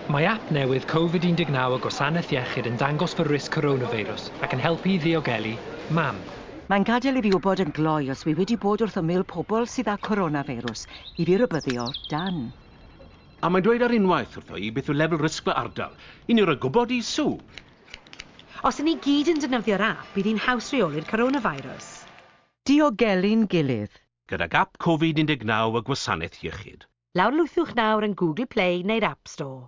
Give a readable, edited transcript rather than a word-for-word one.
Mae app newydd Covid-19 y Gwasanaeth Iechyd yn dangos fy risg coronavirus ac yn helpu i ddiogelu mam. Mae'n gadael i fi wybod yn gloi os wi wedi bod wrth ymyl pobl sydd â coronavirus i fi rybuddio Dan. A mae'n dweud ar unwaith wrtho i beth yw lefel risg fy ardal, i ni roi gwybod i Sue. Os 'yn ni gyd yn defnyddio'r app, bydd hi'n haws rheoli'r coronavirus. Diogelu'n gilydd. Gydag app Covid-19 y Gwasanaeth Iechyd. Lawrlwythwch nawr yn Google Play neu'r App Store.